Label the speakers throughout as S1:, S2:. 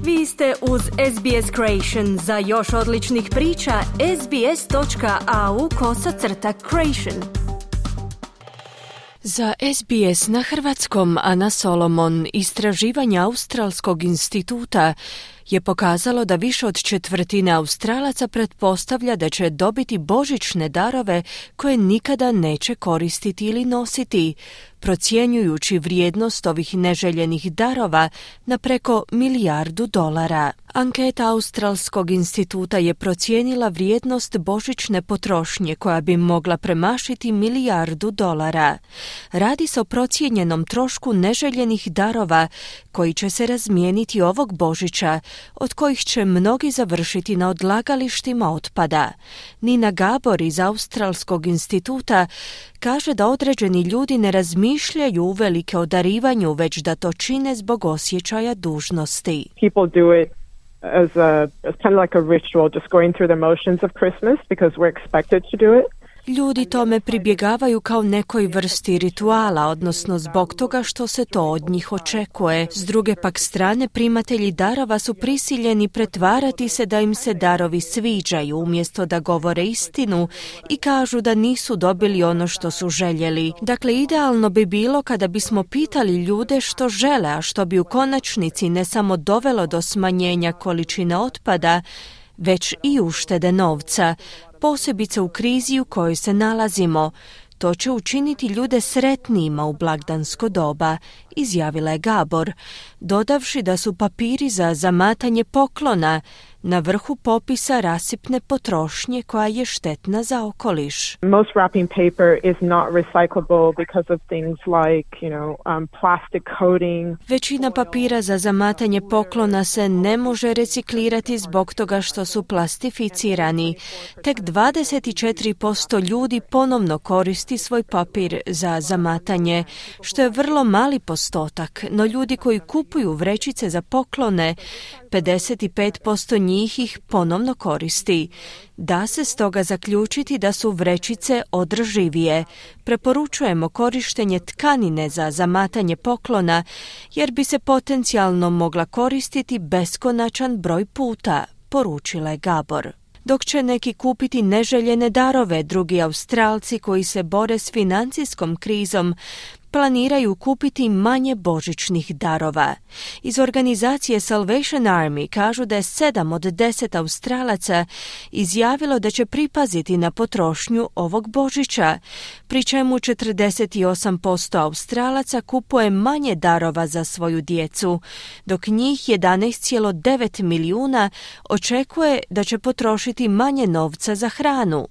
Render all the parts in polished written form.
S1: Vi ste uz SBS Creation. Za još odličnih priča, sbs.au/creation. Za SBS na hrvatskom Ana Solomon. Istraživanje Australskog instituta je pokazalo da više od četvrtine Australaca pretpostavlja da će dobiti božićne darove koje nikada neće koristiti ili nositi, procjenjujući vrijednost ovih neželjenih darova na preko $1 milijardu. Anketa Australskog instituta je procijenila vrijednost božićne potrošnje koja bi mogla premašiti $1 milijardu. Radi se o procijenjenom trošku neželjenih darova koji će se razmijeniti ovog Božića, od kojih će mnogi završiti na odlagalištima otpada. Nina Gabor iz Australskog instituta kaže da određeni ljudi ne razmišljaju uvelike o darivanju, već da to čine zbog osjećaja dužnosti.
S2: People do it as kind of like a ritual, just going through the motions of Christmas because we're expected to do it.
S1: Ljudi tome pribjegavaju kao nekoj vrsti rituala, odnosno zbog toga što se to od njih očekuje. S druge pak strane, primatelji darova su prisiljeni pretvarati se da im se darovi sviđaju, umjesto da govore istinu i kažu da nisu dobili ono što su željeli. Dakle, idealno bi bilo kada bismo pitali ljude što žele, a što bi u konačnici ne samo dovelo do smanjenja količine otpada, već i uštede novca, posebice u krizi u kojoj se nalazimo. To će učiniti ljude sretnijima u blagdansko doba, izjavila je Gabor, dodavši da su papiri za zamatanje poklona na vrhu popisa rasipne potrošnje koja je štetna za okoliš.
S2: Most wrapping paper is not recyclable because of things like, plastic coating.
S1: Većina papira za zamatanje poklona se ne može reciklirati zbog toga što su plastificirani. Tek 24% ljudi ponovno koristi svoj papir za zamatanje, što je vrlo mali postotak, no ljudi koji kupuju vrećice za poklone, 55% njih ih ponovno koristi. Da se stoga zaključiti da su vrećice održivije. Preporučujemo korištenje tkanine za zamatanje poklona, jer bi se potencijalno mogla koristiti beskonačan broj puta, poručila je Gabor. Dok će neki kupiti neželjene darove, drugi Australci koji se bore s financijskom krizom planiraju kupiti manje božićnih darova. Iz organizacije Salvation Army kažu da je 7 od 10 Australaca izjavilo da će pripaziti na potrošnju ovog Božića, pri čemu 48% Australaca kupuje manje darova za svoju djecu, dok njih 11,9 milijuna očekuje da će potrošiti manje novca za hranu.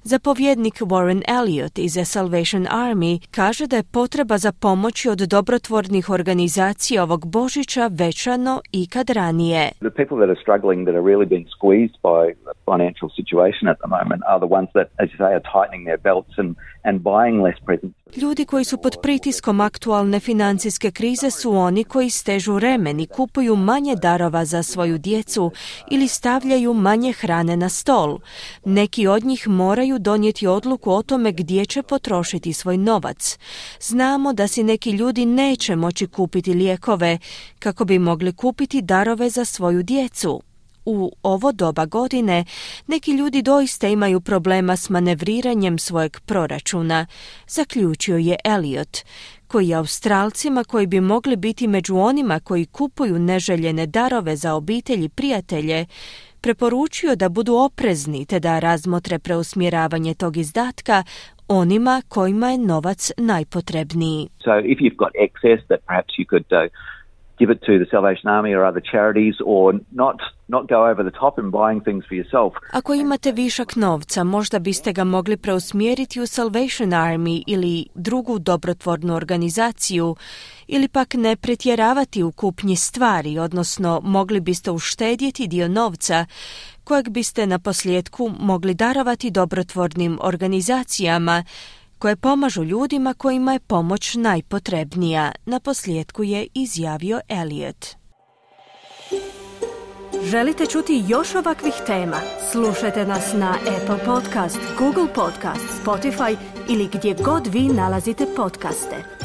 S1: Zapovjednik Warren Elliott iz Salvation Army kaže da je potreba za pomoći od dobrotvornih organizacija ovog Božića veća no ikad ranije.
S3: The people that are struggling, that are really being squeezed by the financial situation at the moment are the ones that, as you say, are tightening their belts and buying less presents.
S1: Ljudi koji su pod pritiskom aktualne financijske krize su oni koji stežu remen i kupuju manje darova za svoju djecu ili stavljaju manje hrane na stol. Neki od njih moraju donijeti odluku o tome gdje će potrošiti svoj novac. Znamo da si neki ljudi neće moći kupiti lijekove kako bi mogli kupiti darove za svoju djecu. U ovo doba godine neki ljudi doista imaju problema s manevriranjem svojeg proračuna, zaključio je Elliot, koji je Australcima koji bi mogli biti među onima koji kupuju neželjene darove za obitelj i prijatelje, preporučio da budu oprezni te da razmotre preusmjeravanje tog izdatka onima kojima je novac najpotrebniji.
S3: So if you've got excess that perhaps you could give it to the Salvation Army or other charities, or not go over the top in buying things for yourself.
S1: Ako imate višak novca, možda biste ga mogli preusmjeriti u Salvation Army ili drugu dobrotvornu organizaciju, ili pak ne pretjeravati u kupnji stvari, odnosno mogli biste uštedjeti dio novca kojeg biste na posljedku mogli darovati dobrotvornim organizacijama koje pomažu ljudima kojima je pomoć najpotrebnija, na posljedku je izjavio Elliot. Želite čuti još ovakvih tema? Slušajte nas na Apple Podcast, Google Podcast, Spotify ili gdje god vi nalazite podcaste.